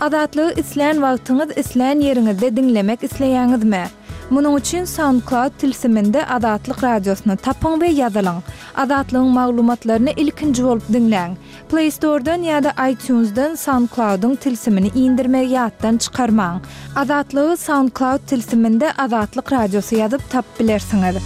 Azatlygy islän wagtyňyz, islän ýeriňizde diňlemek isleýäňizmi? Munuň üçin SoundCloud tilsiminde Azatlyk Radiosyny tapyň we ýazylyň. Azatlygyň maglumatlaryny ilkinji bolup diňläň. Play Store-dan ýa-da iTunes-dan SoundCloud-yň tilsimini indirmegi ýatdan çykarmaň. Azatlygy SoundCloud tilsiminde Azatlyk Radiosy ýazyp tapyp bilersiňiz.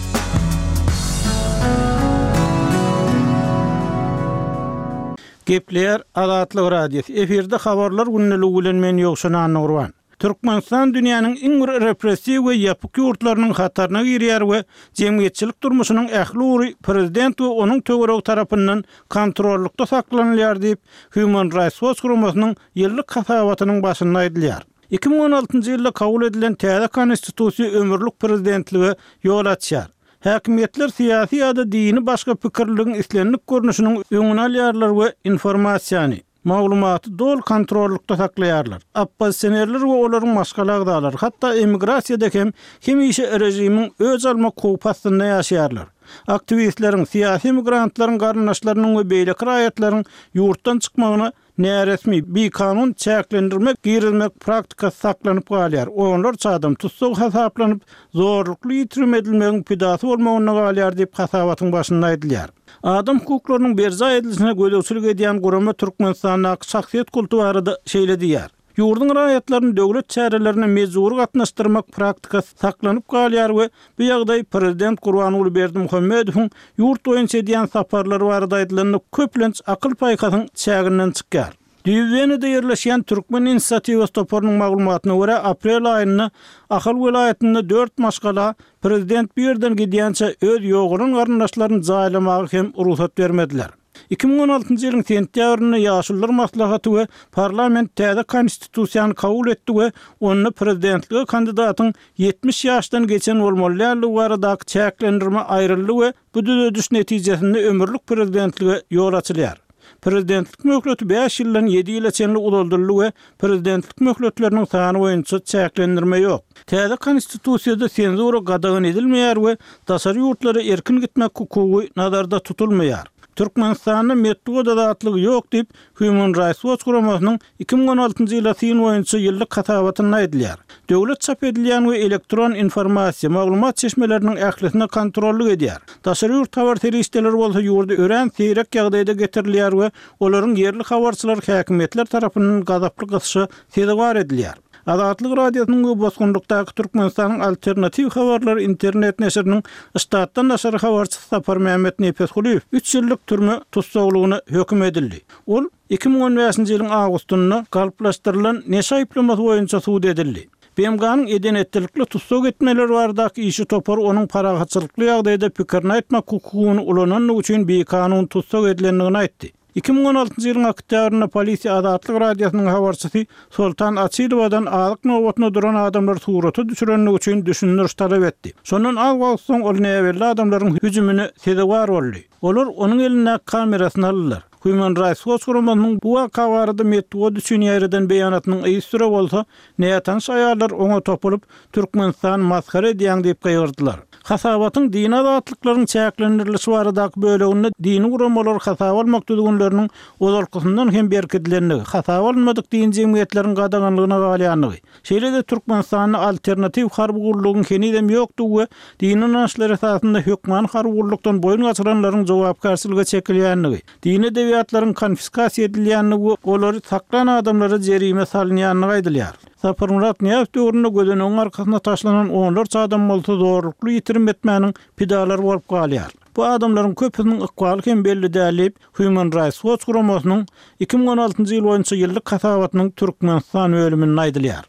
Gepleýär Azatlyk Radiosy, efirde Habarlar gündeligi bilen men Ýowşan Annagurban. Türkmenistan dünýäniň iň bir repressiw we ýapyk ýurtlarynyň hataryna girýär we jemgyýetçilik durmuşynyň ähli ugry prezident we onuň töweregi tarapyndan kontrollykda saklanylýar diýip, Human Rights Watch guramasynyň ýyllyk hasabatynyň başynda aýdylýar. 2016-njy ýylda kabul edilen täze konstitusiýa ömürlik prezidentlige ýol açýar. Häkimiýetler syýasy ýa-da dini başga pikirliligiň islendik görnüşiniň öňüni alýarlar we informasiýany, maglumaty doly kontrollykda saklaýarlar. Oppozisionerler we olaryň maşgala agzalary, hatda emigrasiýada hem hemişe režimiň öç almak howpy astynda ýaşaýarlar. Aktiwistleriň, syýasy emigrantlaryň garyndaşlarynyň we beýleki raýatlaryň ýurtdan çykmagyna näresmi, bikanun çäklendirme girizmek praktikasy saklanyp galýar, onlarça adam tussag hasaplanyp, zorlukly ýitirim edilmegiň pidasy bolmagynda galýar diýip, hasabatyň başynda aýdylýar. Adam hukuklarynyň berjaý edilişine gözegçilik edýän gurama Türkmenistandaky şahsyýet kulty barada şeýle diýýär, Ýurduň raýatlaryny döwlet çärelerine mejbury gatnaşdyrmak praktikasy saklanyp galýar we bu ýagdaý prezident Gurbanguly Berdimuhamedowyň ýurt boýunça edýän saparlary barada aýdylanda köplenç akyl-paýhasyň çäginden çykýar. Düýbi Wenada ýerleşýän Türkmen inisiatiwasy toparynyň maglumatyna görä, aprel aýynda Ahal welaýatynda dört maşgala prezident bu ýerden gidýänçä öz ýogalan garyndaşlaryny jaýlamaga hem rugsat bermediler. 2016-njy ýylyň sentýabrynda Ýaşulular maslahaty we parlament täze konstitusiýany kabul etdi we onda prezidentlige kandidatyň 70 ýaşdan geçen bolmaly däldigi baradaky çäklendirme aýryldy we Bu düzediş netijesinde ömürlik prezidentlige ýol açylýar. Prezidentlik möhleti bäş ýyldan ýedi ýyla çenli uzaldyldy we prezidentlik möhletleriniň sany boýunça çäklendirme ýok. Täze Konstitusiýada senzura gadagan edilmeýär we daşary ýurtlara erkin gitmek hukugy nazarda tutulmaýar. Türkmenistanda metbugat azatlygy ýok diýip, Human Rights Watch guramasynyň 2016-njy ýyla syn boýunça ýyllyk hasabatynda aýdylýar. Döwlet çap edilýän we elektron informasiýa, maglumat çeşmeleriniň ählisine kontrollyk edýär. Daşary ýurt habar serişdeleri bolsa ýurda örän seýrek ýagdaýda getirilýär we olaryň ýerli habarçylary häkimiýetler tarapyndan gazaply gysyşa sezewar edilýär. Azatlyk Radiosynyň we bosgunlykdaky Türkmenistanyň Alternatiw habarlary internet neşiriniň ştatdan daşary habarçysy Saparmämmet Nepesgulyýew üç ýyllyk türme tussaglygyna höküm edildi. Ol 2015-nji ýylyň awgustynda galplaşdyrylan neşe aýyplamasy boýunça sud edildi. BMG-niň eden-etdilikli tussag etmeler baradaky işçi topary onuň parahatçylykly ýagdaýda pikirini aýtmak hukugyny ulanandygy üçin bikanun tussag edilendigini aýtdy. 2016-njy ýylyň oktýabrynda polisiýa Azatlyk Radiosynyň habarçysy Soltan Açylowadan azyk nobatyna duran adamlary surata düşürendigi üçin düşündiriş talap etdi. Şondan az wagt soň ol näbelli adamlaryň hüjümine sezewar boldy. Olar onuň elindäki kamerasyny aldylar. Human Rights Watch guramasynyň bu waka barada metbugat üçin ýaýradan beýanatynyň yzysüre bolsa, nätanyş aýallar oňa topulyp, Türkmenistany masgara edýäň diýip gygyrdylar. Hasabatyň dini azatlyklaryň çäklendirilişi baradaky böleginde dini guramalary hasaba almak düzgünleriniň ozalkysyndan hem berkidilendigi, hasaba alynmadyk dini jemgyýetleriň gadaganlygyna galýandygy, şeýle-de Türkmenistanda alternatiw harby gullugyň henizem ýokdugy we dini ynançlar esasynda hökmany harby gullukdan boýun gaçyranlaryň jogapkärçilige çekilýändigi, dini edebiýatlaryň konfiskasiýa edilýändigi we olary saklan adamlara jerime salynýandygy aýdylýar. Saparmyrat Nyýazow döwründe gözenegiň arkasyna taşlanan onlarça adam bolsa zorlukly ýitirim etmäniň pidalary bolup galýar. Bu adamlaryň köpüsiniň ykbaly hem belli däl diýip, Human Rights Watch guramasynyň 2016-njy ýyl boýunça ýyllyk hasabatynyň Türkmenistan bölüminde aýdylýar.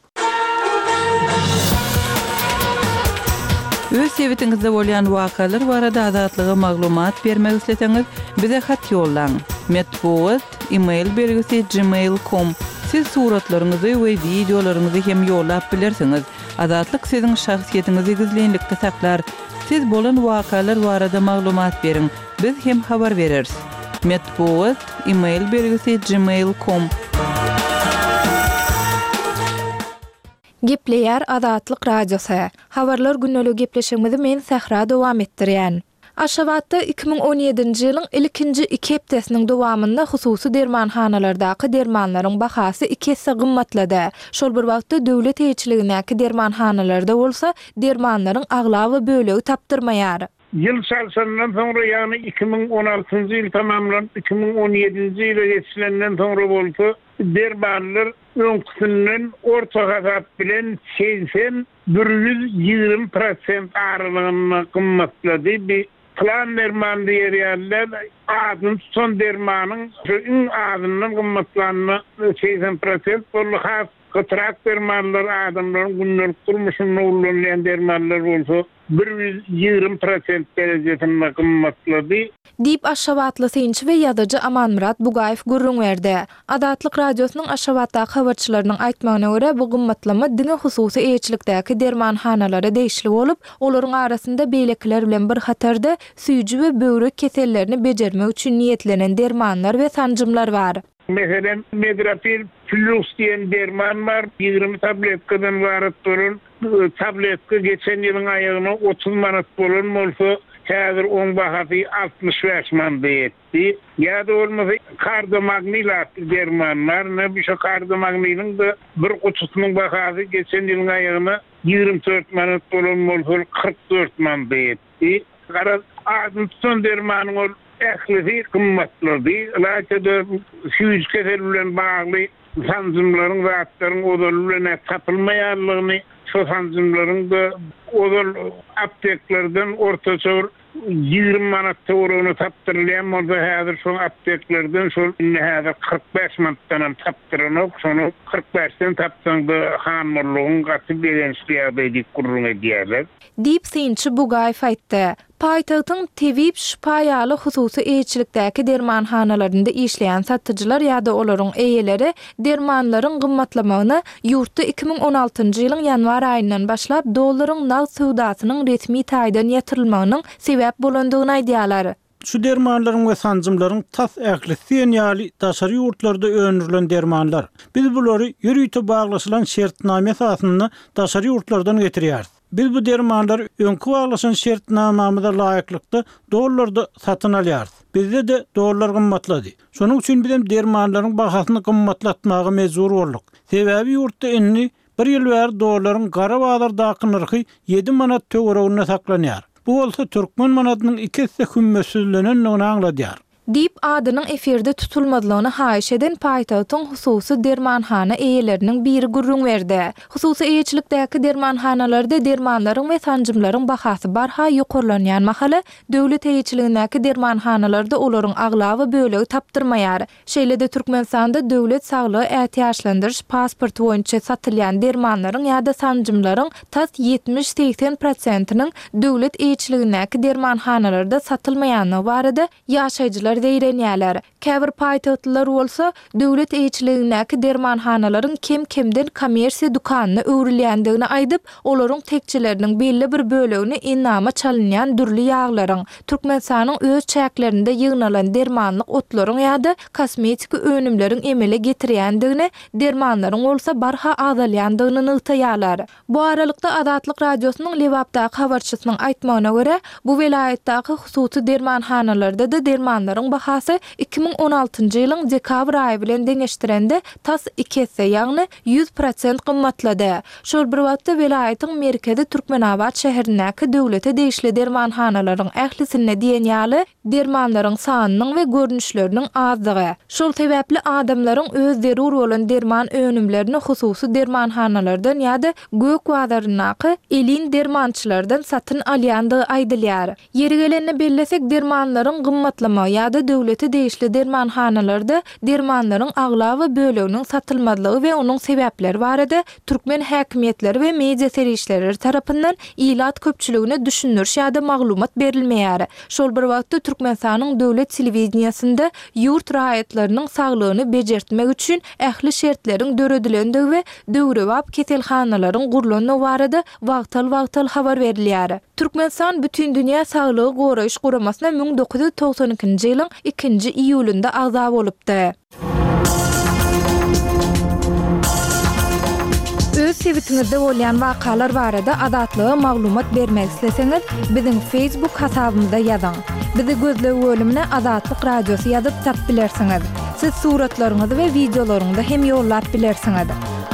Öz sebitiňizde bolýan wakalar barada Azatlyga maglumat bermek isleseňiz, bize hat ýollaň. Metbugat, e-mail belgisi gmail com. Siz suratlaryňyzy we wideolaryňyzy hem ýollap bilersiňiz. Azatlyk siziň şahsyýetiňizi gizlinlikde saklar. Siz bolan wakalar barada maglumat beriň, biz hem habar bereris. Metbugat, e-mail belgisi gmail com. Gepleýär Azatlyk Radiosy. Habarlar gündeligi gepleşigimizi men Sähra dowam etdirýän. Aşgabatda 2017-nji ýylyň ilkinji iki hepdesiniň dowamynda hususy dermanhanalardaky dermanlaryň bahasy iki esse gymmatlady. Şol bir wagtda, döwlet eýeçiligindäki dermanhanalarda bolsa dermanlaryň aglaba bölegi tapdyrmaýar. Ýyl çalşandan soňra, ýagny 2016-njy ýyl tamamlanyp, 2017-nji ýyla geçilenden soňra bolsa, dermanlar öňküsinden orta hasap bilen 80, 120 prosent aralygynda gymmatlady. Bi pylan derman diýer ýaly däl, adyny tutan dermanyň şu iň azyndan gymmatlanyna 80 prosent boldy. Has gytrak dermanlar, adamlaryň gündelik durmuşynda ullanylýan dermanlar bolsa 120 prosent derejesinde gymmatlady. Diýip, aşgabatly synçy we ýazyjy Amanmyrat Bugaýew gürrüň berdi. Azatlyk Radiosynyň Aşgabatdaky habarçylarynyň aýtmagyna görä, bu gymmatlama diňe hususy eýeçilikdäki dermanhanalara degişli bolup, olaryň arasynda beýlekiler bilen bir hatarda süýji we böwrek kesellerini bejermek üçin niýetlenen dermanlar we sanjymlar bar. Meselem, Medrapil Plýus diýen derman bar, 20 tabletkadan ybarat bolan tabletka geçen ýylyň aýagyna 30 manat bolan bolsa, häzir oň bahasy 65 manada ýetdi. Ýa-da bolmasa Kardomagnil atly derman bar, ine şo Kardomagniliň-de bir gutusynyň bahasy geçen ýylyň aýagyna 24 manat bolan bolsa, 44 manada ýetdi. Garaz, adyny tutan dermanyň ol ählisi gymmatlady. Ylaýta-da süýji kesel bilen bagly sanjymlaryň, zatlaryň ozaly bilen-ä tapylmaýanlygyny, şo sanjymlaryň-da ozal apteklerden ortaça bir 20 manat töweregine tapdyrylýan bolsa, häzir şo apteklerden şol indi häzir 45 manatdanam tapdyranok. Şony 45-den tapsaň-da hanmurlugyň gaty begençli ýagdaý diýip gürrüň edýärler. Diýip, synçy Bugaýew aýtdy. Paýtagtyň Tebip şypa ýaly hususy eýeçilikdäki dermanhanalarynda işleýän satyjylar ýa-da olaryň eýeleri dermanlaryň gymmatlamagyna ýurtda 2016-njy ýylyň ýanwar aýyndan başlap dollaryň nagt söwdasynyň resmi taýdan ýatyrylmagynyň sebäp bolandygyny aýdýarlar. Şu dermanlaryň we sanjymlaryň tas ählisi diýen ýaly daşary ýurtlarda öndürilen dermanlar. Biz bulary ýörite baglaşylan şertnama esasynda daşary ýurtlardan getirýäris. Biz bu dermanlary öňki baglaşan şertnamamyza laýyklykda dollarda satyn alýarys. Bizde-de dollar gymmatlady. Şonuň üçin bizem dermanlaryň bahasyny gymmatlatmaga mejbur bolduk. Sebäbi ýurtda indi Bir ýyl bäri dollaryň gara bazardaky nyrhy ýedi manat töwereginde saklanýar. Bu bolsa türkmen manadynyň iki esse hümmetsizlenendigini aňladýar. Diýip, adynyň efirde tutulmazlygyny haýyş eden paýtagtyň hususy dermanhana eýeleriniň biri gürrüň berdi. Hususy eýeçilikdäki dermanhanalarda dermanlaryň we sanjymlaryň bahasy barha ýokarlanýan mahaly, döwlet eýeçiligindäki dermanhanalarda olaryň aglaba bölegi tapdyrmaýar. Şeýle-de Türkmenistanda döwlet saglygy ätiýaçlandyryş pasporty boýunça satylýan dermanlaryň ýa-da sanjymlaryň tas 70-80 prosentiniň döwlet eýeçiligindäki dermanhanalarda satylmaýandygy barada ýaşaýjylar zeýrenýärler. Käbir paýtagtlylar bolsa, döwlet eýeçiligindäki dermanhanalaryň kem-kemden kommersiýa dükanyna öwrülýändigini aýdyp, olaryň tekjeleriniň belli bir bölegini endama çalynýan dürli ýaglaryň, Türkmenistanyň öz çäklerinde ýygnalan dermanlyk otlaryň ýa-da kosmetiki önümleriň emele getirýändigini, dermanlaryň bolsa barha azalýandygyny nygtaýarlar. Bu aralykda, Azatlyk Radiosynyň Lebapdaky habarçysynyň aýtmagyna görä, bu welaýatdaky hususy dermanhanalarda-da dermanlaryň bahasy 2016-njy ýylyň dekabr aýy bilen deňeşdirende tas iki esse, ýagny 100 prosent gymmatlady. Şol bir wagtda, welaýatyň merkezi Türkmenabat şäherindäki döwlete degişli dermanhanalaryň ählisinde diýen ýaly dermanlaryň sanynyň we görnüşleriniň azdygy, şol sebäpli adamlaryň öz zerur bolan derman önümlerini hususy dermanhanalardan ýa-da gök bazaryndaky elin dermançylardan satyn alýandygy aýdylýar. Ýeri gelende bellesek, dermanlaryň gymmatlamagy ýa-da döwlete degişli dermanhanalarda dermanlaryň aglaba böleginiň satylmazlygy we onuň sebäpleri barada türkmen häkimiýetleri we media serişdeleri tarapyndan ilat köpçüligine düşündiriş ýa-da maglumat berilmeýär. Şol bir wagtda Türkmenistanyň döwlet telewideniýesinde ýurt raýatlarynyň saglygyny bejertmek üçin ähli şertleriň döredilendigi we döwrebap keselhanalaryň gurlandygy barada wagtal-wagtal habar berilýär. Türkmenistan Bütindünýä Saglygy Goraýyş Guramasyna 1992-nji ýylyň ikinji iýulynda agza bolupdy. Öz sebitiňizde bolýan wakalar barada Azatlyga maglumat bermek isleseňiz, biziň Facebook hasabymyza ýazyň. Bizi gözleg bölümine Azatlyk Radiosy ýazyp tap bilersiňiz. Siz suratlaryňyzy we wideolaryňyzy hem ýollap bilersiňiz.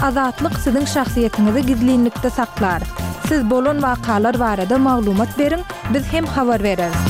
Azatlyk siziň şahsyýetiňizi gizlinlikde saklar. Siz bolan wakalar barada maglumat beriň, biz hem habar bereris.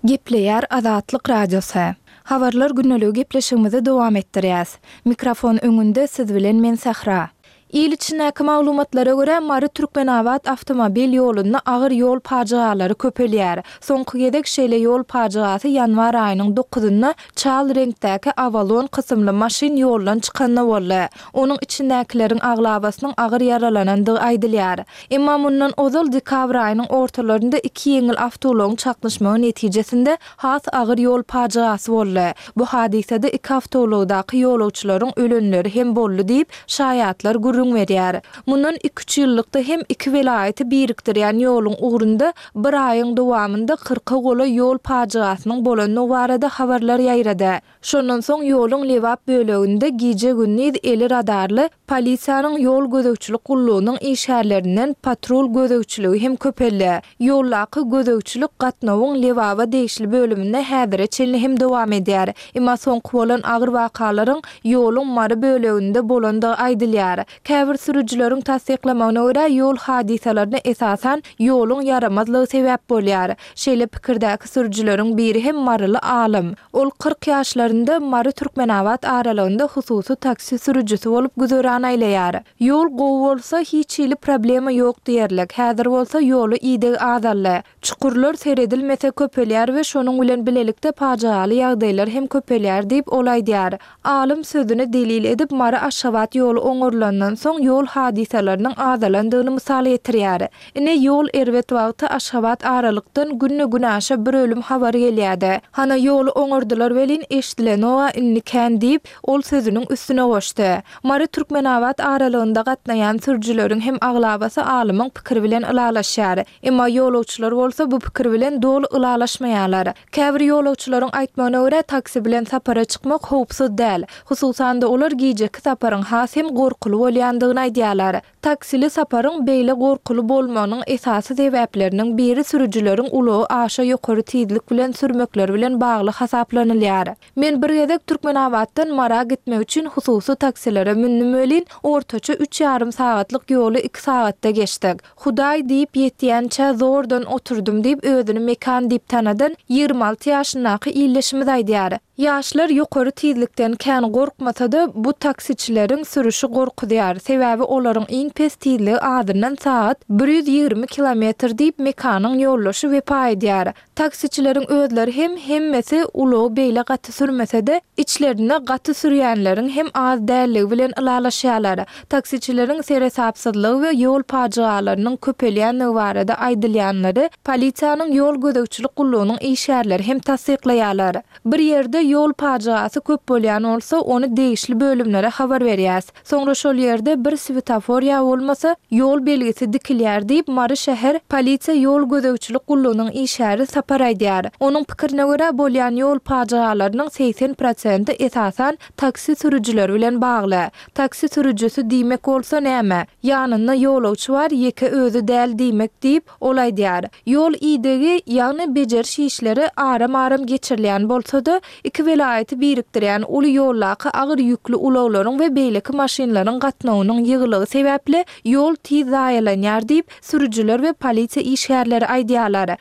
Gepleýär Azatlyk Radiosy. Habarlar gündeligi gepleşigimizi dowam etdirýäs. Mikrofon öňünde siz bilen men Sähra. Il içindäki maglumatlara görä, Mary-Türkmenabat awtomobil ýolunda agyr ýol pajygalary köpelýär. Soňky gezek şeýle ýol pajygasy ýanwar aýynyň dokuzynda çal reňkdäki Avalon kysymly maşyn ýoldan çykanda boldy. Onuň içindäkileriň aglabasynyň agyr ýaralanandygy aýdylýar. Emma mundan ozal dekabr aýynyň ortalarynda iki ýeňil awtoulagyň çaknyşmagy netijesinde has agyr ýol pajygasy boldy. Bu hadysada iki awtoulagdaky ýolagçylaryň ölenleri hem boldy diýip, şaýatlar gürrüň berýär. Mundan iki-üç ýyllykda hem iki welaýaty birikdirýän ýoluň ugrunda bir aýyň dowamynda kyrka golaý ýol pajygasynyň bolandygy barada habarlar ýaýrady. Şondan soň ýoluň Lebap böleginde gije-gündiz eli radarly polisiýanyň ýol gözegçilik gullugynyň işgärlerinden patrul gözegçiligi hem köpeldi. Ýoldaky gözegçilik gatnawyň Lebaba degişli bölüminde häzire çenli hem dowam edýär. Emma soňky bolan agyr wakalaryň ýoluň Mary böleginde bolandygy aýdylýar. Käbir sürüjileriň tassyklamagyna görä, ýol hadysalaryna esasan ýoluň ýaramazlygy sebäp bolýar. Şeýle pikirdäki sürüjileriň biri hem maryly alym. Ol 40 ýaşlarynda Mary-Türkmenabat aralygynda hususy taksi sürüjisi bolup güzeran aýlaýar. Ýol gowy bolsa, hiç hili problema ýok diýerlik. Häzir bolsa ýola ideg azaldy. Çukurlar seredilmese köpelýär we şonuň bilen bilelikde pajygaly ýagdaýlar hem köpelýär diýip, ol aýdýar. Alym sözüni delil edip, Mary-Aşgabat ýoly oňarylandan soň ýol hadysalarynyň azalandygyny mysal getirýär. Ine, ýol erbet wagty Aşgabat aralykdan günde-günaşa bir ölüm habary gelýärdi. Hana, ýoly oňardylar welin, eşdilenog-a indi kän diýip, ol sözüniň üstüne goşdy. Mary-Türkmenabat aralygynda gatnaýan sürüjileriň hem aglabasy alymyň pikiri bilen ylalaşýar. Emma ýolagçylar bolsa bu pikir bilen doly ylalaşmaýarlar. Käbir ýolagçylaryň aýtmagyna görä, taksi bilen sapara çykmak howpsuz däl. Hususan-da, olar gijeki saparyň has hem gorkuly bolýandygyny aýdýarlar. Taksili saparyň beýle gorkuly bolmagynyň esasy sebäpleriniň biri sürüjileriň ulagy aşa ýokary tizlik bilen sürmekleri bilen bagly hasaplanylýar. Men bir gezek Türkmenabatdan Mara gitmek üçin hususy taksilere mündüm welin, ortaça üç ýarym sagatlyk ýoly iki sagatda geçdik. Hudaý diýip ýetýänçä zordan oturdym diýip özüni Mekan diýip tanadan 26 ýaşyndaky ildeşimiz aýdýar. Ýaşlar ýokary tizlikden kän gorkmasa-da, bu taksiçileriň sürüşi gorkuzýar. Sebäbi olaryň iň pes tizligi azyndan sagat 120 kilometr diýip Mekanyň ýoldaşy Wepa aýdýar. Taksiçileriň özleri hem hemmesi ulagy beýle gaty sürmese-de, içlerinde gaty sürýänleriň hem az dälligi bilen ylalaşýarlar. Taksiçileriň seresapsyzlygy we ýol pajygalarynyň köpelýänligi barada aýdylýanlary polisiýanyň ýol gözegçilik gullugynyň işgärleri hem tassyklaýarlar. Bir ýerde ýol pajygasy köp bolýan bolsa, ony degişli bölümlere habar berýäs. Soňra şol ýerde bir swetofor ýa bolmasa, ýol belgisi dikilýär diýip, Mary şäher polisiýa ýol gözegçilik gullugynyň işgäri Sapar aýdýar. Onuň pikirine görä, bolýan ýol pajygalarynyň 80 prosenti esasan taksi sürüjileri bilen bagly. Taksi sürüjisi diýmek bolsa näme? Ýanynda ýolagçy bar, ýeke özi däl diýmek diýip, ol aýdýar. Ýol idegi, ýagny bejeriş işleri aram-aram geçirilýän bolsa-da, iki welaýaty birikdirýän uly ýoldaky agyr ýükli ulaglaryň we beýleki maşynlaryň gatnawynyň ýygylygy sebäpli ýol tiz zaýalanýar diýip, sürüjiler we polisiýa işgärleri aýdýarlar.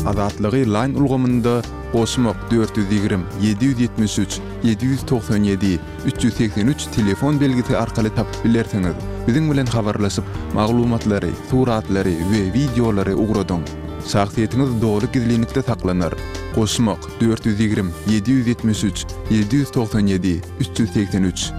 Azatlygy Line ulgamynda goşmak 420 773 797 383 telefon belgisi arkaly tapyp bilersiňiz. Biziň bilen habarlaşyp, maglumatlary, suratlary we wideolary ugradyň. Şahsyýetiňiz doly gizlinlikde saklanar. Goşmak 420 773 797 383.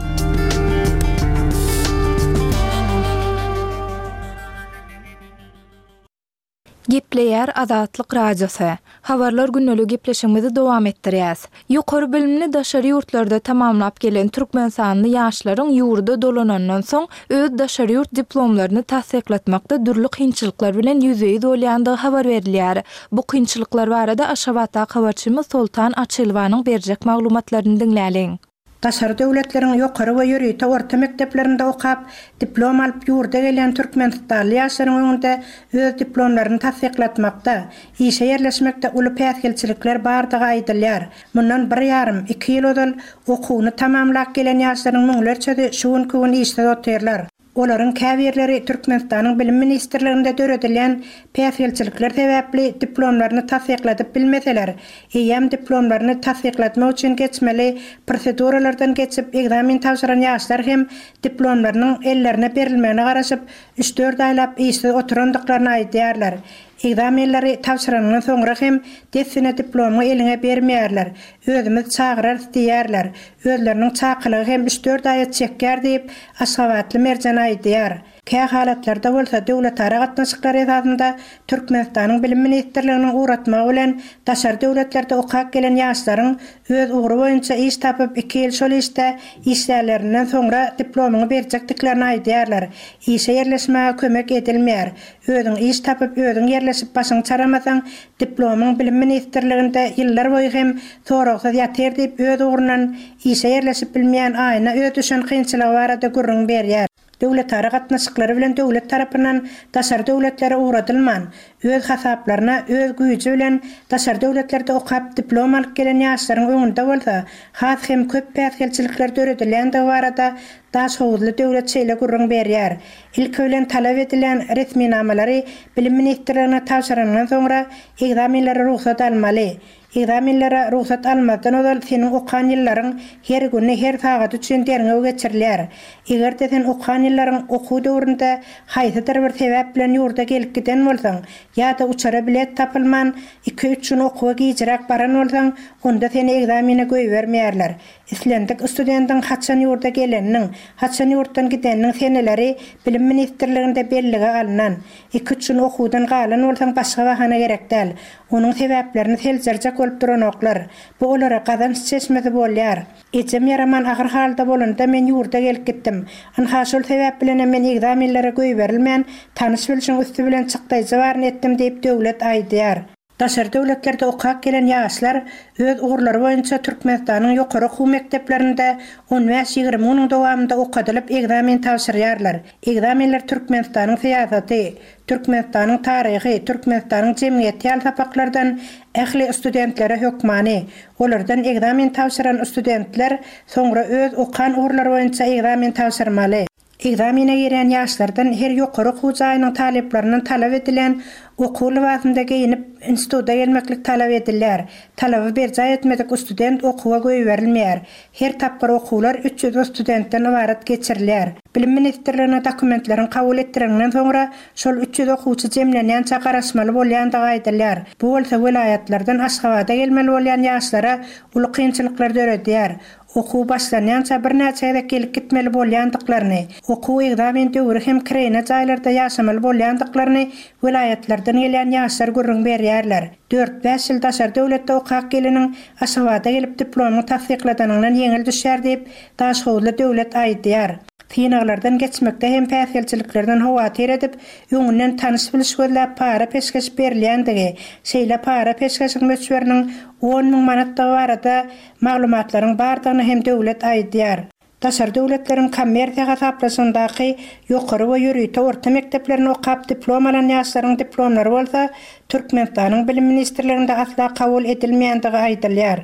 Gepleýär Azatlyk Radiosy. Habarlar gündeligi gepleşigimizi dowam etdirýäs. Ýokary bilimini daşary ýurtlarda tamamlap gelen türkmenistanly ýaşlaryň ýurda dolanandan soň öz daşary ýurt diplomlaryny tassyklatmakda dürli kynçylyklar bilen ýüzbe-ýüz bolýandygy habar berilýär. Bu kynçylyklar barada Aşgabatdaky habarçymyz Soltan Açylowanyň berjek maglumatlaryny diňläliň. Daşary döwletleriň ýokary we ýörite orta mekdeplerinde okap, diplom alyp ýurda gelýän türkmenistanly ýaşlaryň öňünde öz diplomlaryny tassyklatmakda, işe ýerleşmekde uly päsgelçilikler bardygy aýdylýar. Mundan bir ýarym, iki ýyl ozal okuwyny tamamlap gelen ýaşlaryň müňlerçesi şu günki gün işsiz otyrlar. Olaryň käbirleri Türkmenistanyň Bilim ministrliginde döredilýän päsgelçilikler sebäpli diplomlaryny tassykladyp bilmeseler, eýýäm diplomlaryny tassyklatmak üçin geçmeli proseduralardan geçip ekzamen tabşyran ýaşlar hem diplomlarynyň ellerine berilmegine garaşyp, üç-dört aýlap işsiz oturandyklaryny aýdýarlar. Ekzamenleri tabşyranyňdan soňra hem dessine diplomyňy eliňe bermeýärler. Özümiz çagyrarys diýýärler. Özleriniň çakylygy hem üç-dört aýa çekýär diýip, aşgabatly Merjen aýdýar. Kä halatlarda bolsa döwletara gatnaşyklar esasynda Türkmenistanyň Bilim ministrliginiň ugratmagy bilen daşary döwletlerde okap gelen ýaşlaryň öz ugry boýunça iş tapyp iki ýyl şol işde işlänlerinden soňra diplomyňy berjekdiklerini aýdýarlar. Işe ýerleşmäge kömek edilmeýär. Özüň iş tapyp, özüň ýerleşip başyňy çaramasaň, diplomyň Bilim ministrliginde ýyllar boýy hem soragsyz ýatyr diýip, öz ugrundan işe ýerleşip bilmeýän Aýna öz düşen kynçylygy barada gürrüň berýär. Döwletara gatnaşyklary bilen döwlet tarapyndan daşary döwletlere ugradylman, öz hasaplaryna, öz güýji bilen daşary döwletlerde okap diplom alyp gelen ýaşlaryň öňünde bolsa has hem köp päsgelçilikler döredilýändigi barada daşhowuzly Döwlet şeýle gürrüň berýär, Ilki bilen talap edilýän resminamalary Bilim ministrligine tabşyranyňdan soňra ekzamenlere rugsat almaly. Ekzamenlere rugsat almazdan ozal seniň okan ýyllaryň her güni, her sagady üçin derňew geçirilýär. Eger-de sen okan ýyllaryň okuw döwründe haýsydyr bir sebäp bilen ýurda gelip giden bolsaň ýa-da uçara bilet tapylman iki-üç gün okuwa gijiräk baran bolsaň, onda seni ekzamene goýbermeýärler. Islendik studendiň haçan ýurda geleniniň, haçan ýurtdan gideniniň seneleri Bilim ministrliginde bellige alnan. Iki-üç gün okuwdan galan bolsaň başga bahana gerek däl. Onuň sebäplerini seljerjek bolup duranoklar. Bu olara gazanç çeşmesi bolýar. Ejem ýaraman agyr halda bolanda men ýurda gelip gitdim. Ynha şol sebäp bilenem men ekzamenlere goýberilmän, tanyş-bilşiň üsti bilen çykdaýjy baryny etdim diýip Döwlet aýdýar. Daşary döwletlerde okap gelen ýaşlar öz ugurlary boýunça Türkmenistanyň ýokary okuw mekdeplerinde on bäş-ýigrimi günüň dowamynda okadylyp ekzamen tabşyrýarlar. Ekzamenler Türkmenistanyň syýasaty, Türkmenistanyň taryhy, Türkmenistanyň jemgyýeti ýaly sapaklardan ähli studentlere hökmany. Olardan ekzamen tabşyran studentler soňra öz okan ugurlary boýunça ekzamen tabşyrmaly. Ekzamene girýän ýaşlardan her ýokary okuw jaýynyň talyplaryndan talap edilýän okuw lybasynda geýnip, instituta gelmeklik talap edilýär. Talaby berjaý etmedik student okuwa goýberilmeýär. Her tapgyr okuwlar 300 studentden ybarat geçirilýär. Bilim ministrligine dokumentleriňi kabul etdireniňden soňra, şol 300 okuwçy jemlenýänçä garaşmaly bolýandygy aýdylýar. Bu bolsa welaýatlardan Aşgabada gelmeli bolýan ýaşlara uly kynçylyklar döredýär. Okuw başlanýança birnäçe gezek gelip gitmeli bolýandyklaryny, okuw-ekzamen döwri hem kireýine jaýlarda ýaşamaly bolýandyklaryny welaýatlardan gelýän ýaşlar gürrüň berýärler. Dört-bäş ýyl daşary döwletde okap geleniň Aşgabada gelip diplomyňy tassykladanyňdan ýeňil düşýär diýip, daşhowuzly Döwlet aýdýar. Synaglardan geçmekde hem päsgelçiliklerden howatyr edip, öňünden tanyş-biliş gözläp para-peşgeş berilýändigi, şeýle para-peşgeşiň möçberiniň 10,000 manatdygy barada Maglumatlaryň bardygyny hem Döwlet aýdýar. Daşary döwletleriň kommersiýa hasaplaşygyndaky ýokary we ýörite orta mekdeplerini okap diplom alan ýaşlaryň diplomlary bolsa Türkmenistanyň Bilim ministrliginde asla kabul edilmeýändigi aýdylýar.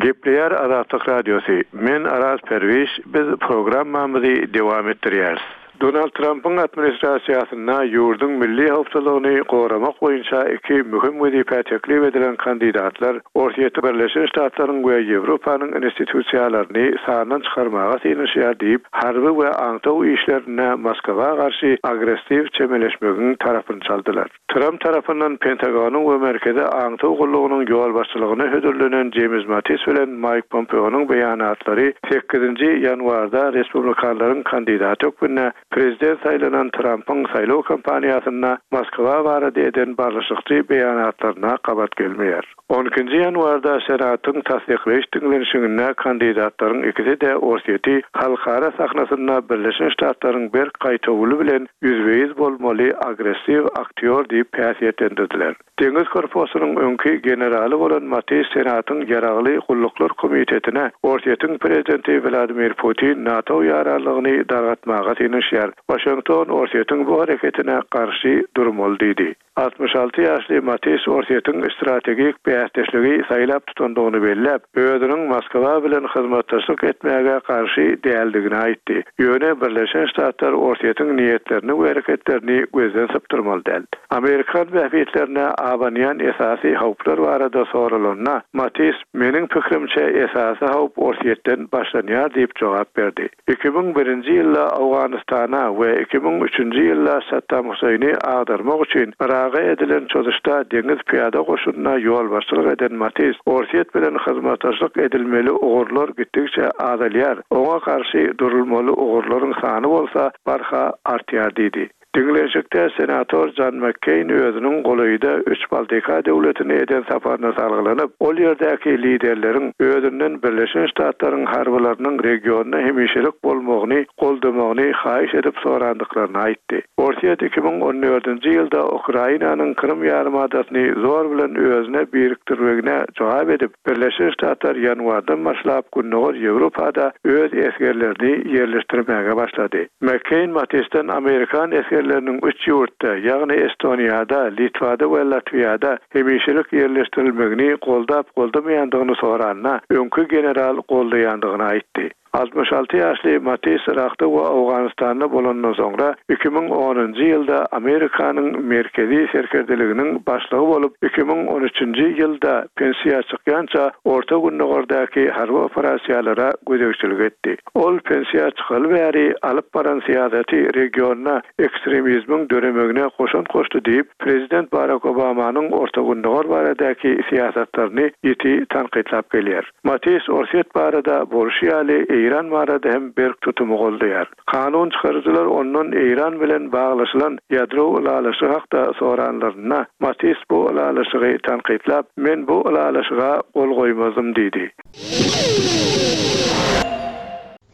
Gepleýär Azatlyk Radiosy, Men Araz Perwiş, biz programmamyzy dowam etdirýäris. Donald Trampyň administrasiýasynda ýurduň milli howpsuzlygyny goramak boýunça iki möhüm wezipä teklip edilen kandidatlar Orsýeti Birleşen Ştatlaryň we Ýewropanyň institusiýalaryny sandan çykarmaga synanyşýar diýip, harby we aňtaw işlerinde Moskwa garşy agressiw çemeleşmegiň tarapyny çaldylar. Tramp tarapyndan Pentagonyň we Merkezi aňtaw gullugynyň ýolbaşçylygyna hödürlenen Jeýms Mattis bilen Maýk Pompeonyň beýanatlary sekizinji ýanwarda respublikanlaryň kandidaty hökmünde Prezident saýlanan Trampyň saýlaw kampaniýasynda Moskwa barada eden barlyşykçy beýanatlaryna gabat gelmeýär. On ikinji ýanwarda Senatyň tassyklaýyş diňlenişiginde kandidatlaryň ikisi-de Orsýeti halkara sahnasynda Birleşen Ştatlaryň berk gaýtawuly bilen ýüzbe-ýüz bolmaly agressiw aktýor diýip häsiýetlendirdiler. Deňiz korpusynyň öňki generaly bolan Mattis Senatyň Ýaragly gulluklar komitetine Orsýetiň prezidenti Wladimir Putin NATO ýaranlygyny dargatmaga synanyşýar, Waşington Orsýetiň bu hereketine garşy durmaly diýdi. 66 ýaşly Mattis Orsýetiň strategik bäsdeşligi saýlap tutandygyny belläp, özüniň Moskwa bilen hyzmatdaşlyk etmäge garşy däldigini aýtdy. Ýöne Birleşen Ştatlar Orsýetiň niýetlerini we hereketlerini gözden sypdyrmaly däl. Amerikan bähbitlerine abanýan esasy howplar barada soralanda, Mattis, Meniň pikirimçe, esasy howp Orsýetden başlanýar diýip jogap berdi. 2001-nji ýylda Owganystana we 2003-nji ýylda Saddam Huseýni agdarmak üçin Yraga edilen çozuşda deňiz pyýada goşunyna ýolbaşçylyk eden Mattis, Orsýet bilen hyzmatdaşlyk edilmeli ugurlar gitdigiçe azalýar, oňa garşy durulmaly ugurlaryň sany bolsa barha artýar diýdi. Diňlenişikde senator Jon Makkeýn özüniň golaýda üç Baltika döwletine eden saparyna salgylanyp, ol ýerdäki liderleriň özünden Birleşen Ştatlaryň harbylarynyň regionda hemişelik bolmagyny goldamagyny haýyş edip sorandyklaryny aýtdy. Orsýet 2014-nji ýylda Ukrainanyň Krym ýarymadasyny zor bilen özüne birikdirmegine jogap edip, Birleşen Ştatlar ýanwardan başlap Gündogar Ýewropada öz esgerlerini ýerleşdirmäge başlady. McCain Mattisden amerikan esgerleriniň üç ýurtda, ýagny Estoniýada, Litwada we Latwiýada hemişelik ýerleşdirilmegini goldap-goldamaýandygyny soranda, öňki general goldaýandygyny aýtdy. 66 ýaşly Mattis Yrakda we Owganystanda bolandan soňra, 2010-njy ýylda Amerikanyň Merkezi serkerdeliginiň başlygy bolup, 2013-nji ýylda pensiýa çykýança Orta Gündogardaky harby operasiýalara gözegçilik etdi. Ol pensiýa çykaly bäri alyp baran syýasaty regionda ekstremizmiň döremegine goşant goşdy diýip, prezident Barak Obamanyň Orta Gündogar baradaky syýasatlaryny ýiti tankytlap gelýär. Mattis Orsýet barada bolşy ýaly Eýran barada hem berk tutumy goldaýar. Kanun çykaryjylar ondan Eýran bilen baglaşylan ýadro ylalaşygy hakda soranlarynda, Mattis bu ylalaşygy tankytlap, Men bu ylalaşyga gol goýmazdym diýdi.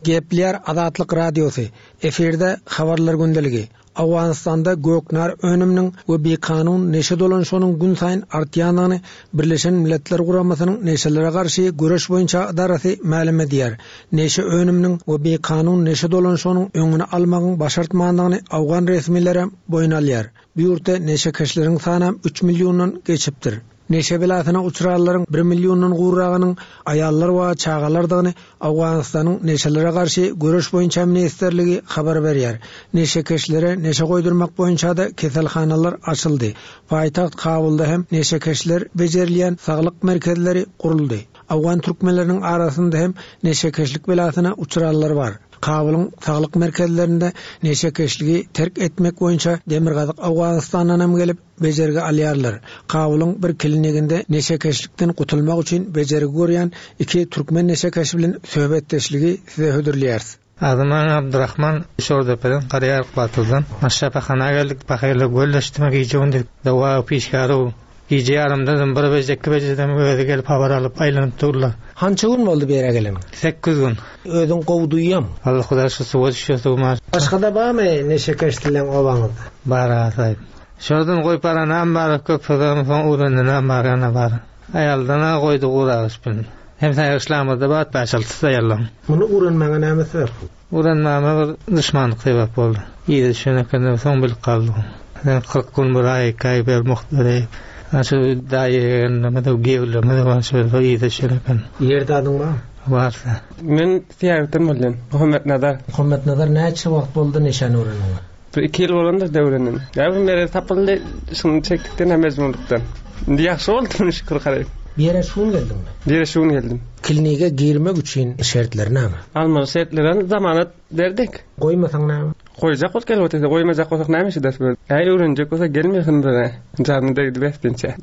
Gepleýär Azatlyk Radiosy, efirde Habarlar gündeligi. Owganystanda göknar önüminiň we bikanun neşe dolanyşygynyň günsaýyn artýandygyny Birleşen Milletler Guramasynyň Neşelere garşy göreş boýunça ydarasy mälim edýär. Neşe önüminiň we bikanun neşe dolanyşygynyň öňüni almagyň başartmandygyny owgan resmilerem boýun alýar. Bu ýurtda neşekeşleriň sanam üç milliondan geçipdir. Neşe belasyna uçranlaryň bir milliondan gowragynyň aýallar we çagalardygyny Owganystanyň Neşelere garşy göreş boýunça ministrligi habar berýär. Neşekeşlere neşe goýdurmak boýunça-da keselhanalar açyldy. Paýtagt Kabulda hem neşekeşler bejerilýän saglyk merkezleri guruldy. Owgan türkmenleriniň arasynda hem neşekeşlik belasyna uçranlar bar. Kabulyň saglyk merkezlerinde neşekeşligi terk etmek boýunça Demirgazyk Owganystandan hem gelip, bejergi alýarlar. Kabulyň bir kliniginde neşekeşlikden gutulmak üçin bejergi görýän iki türkmen neşekeşi bilen söhbetdeşligi size hödürleýäris. Adym Abdurahman, Şordepeden, Garaýaryk batyrdan. Şypahana geldik, pahyrlar gölleşdimi gije-gündiz doga pişgärow. Gije ýarymdanam bir beje, iki bejedem özi gelip habar alyp aýlanyp durlar. Hança gün boldy bu ýere geleniňe? Sekiz gün. Özüň gowy duýýaň? Alla Hudaý şu suwa düşýär suwuma. Başgada barmy neşekeş dileň obaňyzda? Bar aga saýyp. Şordan goýup baranam bar, köp sözem soň öwrendenem bar, ýana bar. Aýaldan-a goýdy guragyş bilen. Hem saýgyçlamyzda bar, bäş-altysy aýallaň. Muny öwrenmäňe näme sebäp boldy? Öwrenmäme bir duşmanlyk sebäp boldy. Yza düşen ekenim, soň bilip galdym. Sen 40 gün bir aý, iki aý ber, mugt bereý. Ana şu daýy ýegenlerimiz, giýewlerimiz bar, şol yza düşen eken. Ýerde adyň barmy? Bar. Men Syýahatdan bolýan. Muhammetnazar. Muhammetnazar näçe wagt boldy neşäni öwreneniňe? Bir iki ýyl bolandyr döwrenine. Näme bir merez tapyldy, şuny çekdikden hem mejburlykdan. Indi ýagşy boldy, şükür garaý. Bu ýere şu gün geldiňmi? Bu ýere şu gün geldim. Klinige girmek üçin şertleri näme? Almaly şertleri zamanat berdik. Goýmasaň näme? Goýjak bolup gelip otyrsa, goýmajak bolsak näme işe ders berdi? Äý öwrenjek bolsa gelmesin bize. Janyna degdi besdinçe.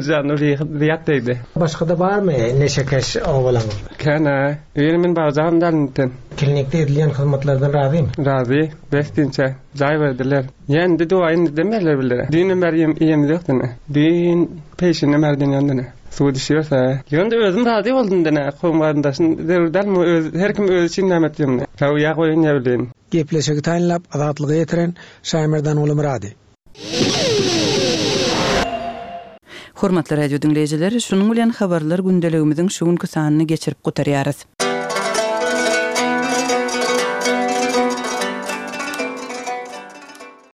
Janyna zyýat degdi. Başga-da barmy neşekeş obalaňyzda? Kän-ä. Ýöne men barjagam däl indiden. Klinikde edilýän hyzmatlardan razymy? Razy. Besdinçe. Jaý berdiler. Ýa indi doga indiden berler bilere. Düýnem bäri iýem iýemiz ýok dene. Düýn peýşinden bäri dönýän dene. Suwa düşýäs-ä. Ýöne özüm razy boldum dene. Kowum-garyndaşym zerur dälmi öz her kim özi üçin näme etýär muny. Haw ýa goýun ýa bileýin. Gepleşigi taýynlap Azatlyga ýetiren Şaýmerdan Gulumyrady. Hormatly radio diňleýjiler, şunuň bilen Habarlar gündeligimiziň şu günki sanyny geçirip gutarýarys.